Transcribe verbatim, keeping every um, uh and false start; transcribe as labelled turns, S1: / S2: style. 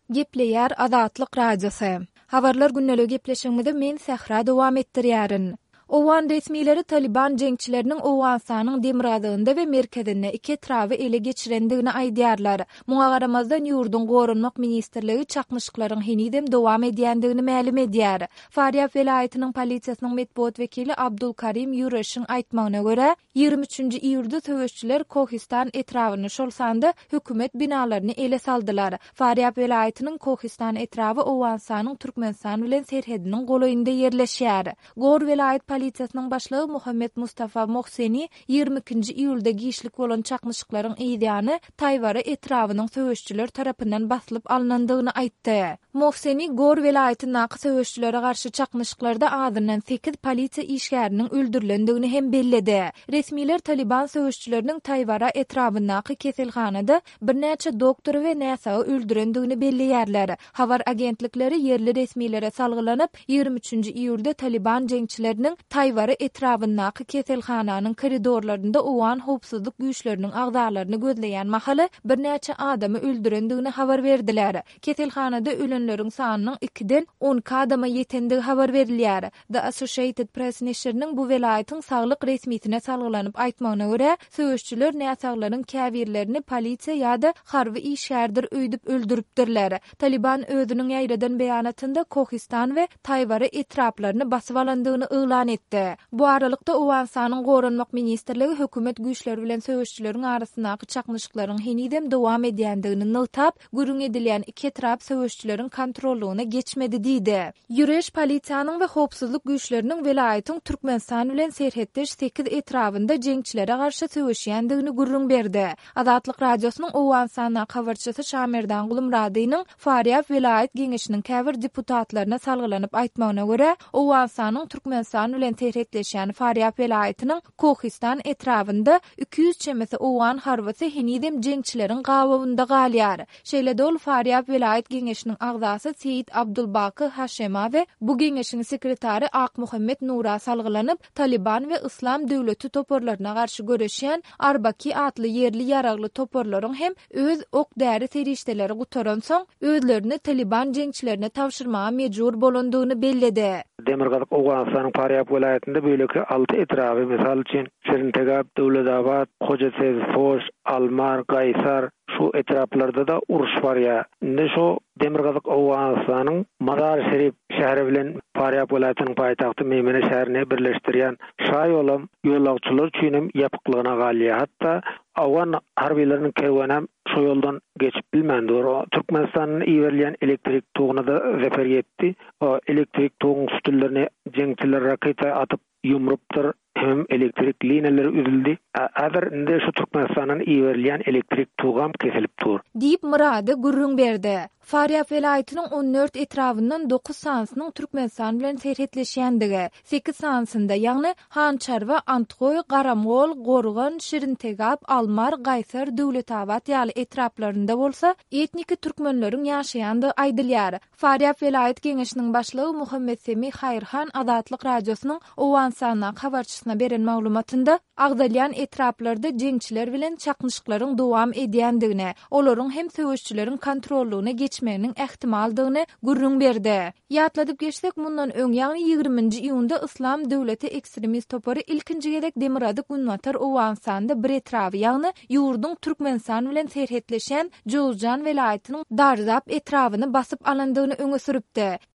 S1: Gepleýär Azatlyk Radiosy. Habarlar gündeligi gepleşigimizi men Sähra dowam etdirýärin. Owgan resmileri Talyban jeňçileriniň Owganystanyň demirgazygynda we merkezinde iki etraby ele geçirendigini aýdýarlar. Muňa garamazdan ýurduň Goranmak ministrligi çaknyşyklaryň henizem dowam edýändigini mälim edýär. Farýab welaýatynyň polisiýasynyň metbugat wekili Abdul Karim Ýureşiň aýtmagyna görä, ýigrimi üçünji iýulda söweşçiler Kohistan etrabyny, şol sanda hökümet binalaryny ele saldylar. Farýab welaýatynyň Kohistan etraby Owganystanyň Türkmenistan bilen serhediniň golaýynda ýerleşýär. Gor welaýat polisiýasynyň başlygy Muhammet Mustafa Mohseni ýigrimi ikinji iýulda giçlik bolan çaknyşyklaryň yzýany Taýwara etrabynyň söweşçiler tarapyndan basylyp alnandygyny aýtdy. Mohseni Gor welaýatyndaky söweşçilere garşy çaknyşyklarda azyndan sekiz polisiýa işgäriniň öldürilendigini hem belledi. Resmiler Talyban söweşçileriniň Taýwara etrabyndaky keselhanada birnäçe doktory we näsagy öldürendigini belleýärler. Habar agentlikleri ýerli resmilere salgylanyp, ýigrimi üçünji iýulda Talyban jeňçileriniň Taýwara etrabyndaky keselhananyň koridorlarynda owgan howpsuzlyk güýçleriniň agzalaryny gözleýän mahaly birnäçe adamy öldürendigini habar berdiler. Keselhanada ölenleriň sanynyň ikiden on iki adama ýetendigi habar berilýär. The Associated Press neşiriniň bu welaýatyň saglyk resmisine salgylanyp aýtmagyna görä, söweşçiler näsaglaryň käbirlerini polisiýa ýa-da harby işgärdir öýdüp öldüripdirler. Talyban özüniň ýaýradan beýanatynda Kohistan we Taýwara etraplaryny basyp alandygyny yglan etdi. Bu aralykda Owganystanyň Goranmak ministrligi hökümet güýçleri bilen söweşçileriň arasyndaky çaknyşyklaryň henizem dowam edýändigini nygtap, gürrüň edilýän iki etrap söweşçileriň kontrollygyna geçmedi diýdi. Ýureş polisiýanyň we howpsuzlyk güýçleriniň welaýatyň Türkmenistan bilen serhetdeş sekiz etrabynda jeňçilere garşy söweşýändigini gürrüň berdi. Azatlyk Radiosynyň Owganystandaky habarçysy Şamerdan Gulumradynyň Farýab welaýat geňeşiniň käbir deputatlaryna salgylanyp aýtmagyna görä, Owganystanyň Türkmenistan bilen serhetleşýän Farýab welaýatynyň Kohistan etrabynda iki ýüz çemesi owgan harbysy henizem jeňçileriň gabawynda galýar. Şeýle-de ol Farýab welaýat geňeşiniň agzasy Seýit Abdulbaky Haşema we bu geňeşiň sekretary Akmuhammet Nura salgylanyp, Talyban we Yslam döwleti toparlaryna garşy göreşýän Arbaki atly ýerli ýaragly toparlaryň hem öz ok-däri serişdeleri gutaransoň, özlerini Talyban jeňçilerine tabşyrmaga mejbur bolandygyny belledi.
S2: Demirgazyk Owganystanyň Farýab welaýatynda beýleki alty etraby, mysal üçin, Şirintegap, Döwletabat, Hojasebz, Foş, Almar, Gaýsar, şu etraplarda-da uruş barýar. Indi şu Demirgazyk Owganystanyň Mazar-Şerif şäheri bilen Farýab welaýatynyň paýtagty Meýmene şäherini birleşdirýän şa ýolam ýolagçylar üçin hem ýapyklygyna galýar. Hatda Owgan harbylarynyň kerwenem şu ýoldan geçip bilmän dur. Türkmenistandan iberilýän elektrik togyna-da zeper ýetdi. O elektrik toguň sütünlerini jeňçiler raketa atyp ýumrupdyr, hem elektrik liniýalary üzüldi. Häzir indi şu Türkmenistandan iberilýän elektrik togam kesilip dur.
S1: Diýip Myrady gürrüň berdi. Farýab welaýatynyň on dört etrabyndan dokuz sanysynyň Türkmenistan bilen serhetleşýändigi, sekiz sanysynda, ýagny Hançarwa, Antgoý, Garamgol, Gorgan, Şirintegap, Almar, Gaýsar, Döwletabat ýaly etraplarynda bolsa etniki türkmenleriň ýaşaýandygy aýdylýar. Farýab welaýat geňeşiniň başlygy Muhammetsemi Haýyrhan Azatlyk Radiosynyň Owganystandaky habarçysyna beren maglumatynda agzalýan etraplarda jeňçiler bilen çaknyşyklaryň dowam edýändigini, olaryň hem söweşçileriň kontrollygyna geçmeginiň ähtimaldygyny gürrüň berdi. Ýatladyp geçsek, mundan öň, ýagny ýigriminji iýunda Yslam döwleti ekstremist topary ilkinji gezek Demirgazyk-Günbatar Owganystanda bir etraby, ýagny ýurduň Türkmenistan bilen serhetleşýän Jowzjan welaýatynyň Darzap etrabyny basyp alandygyny öňe sürüpdi.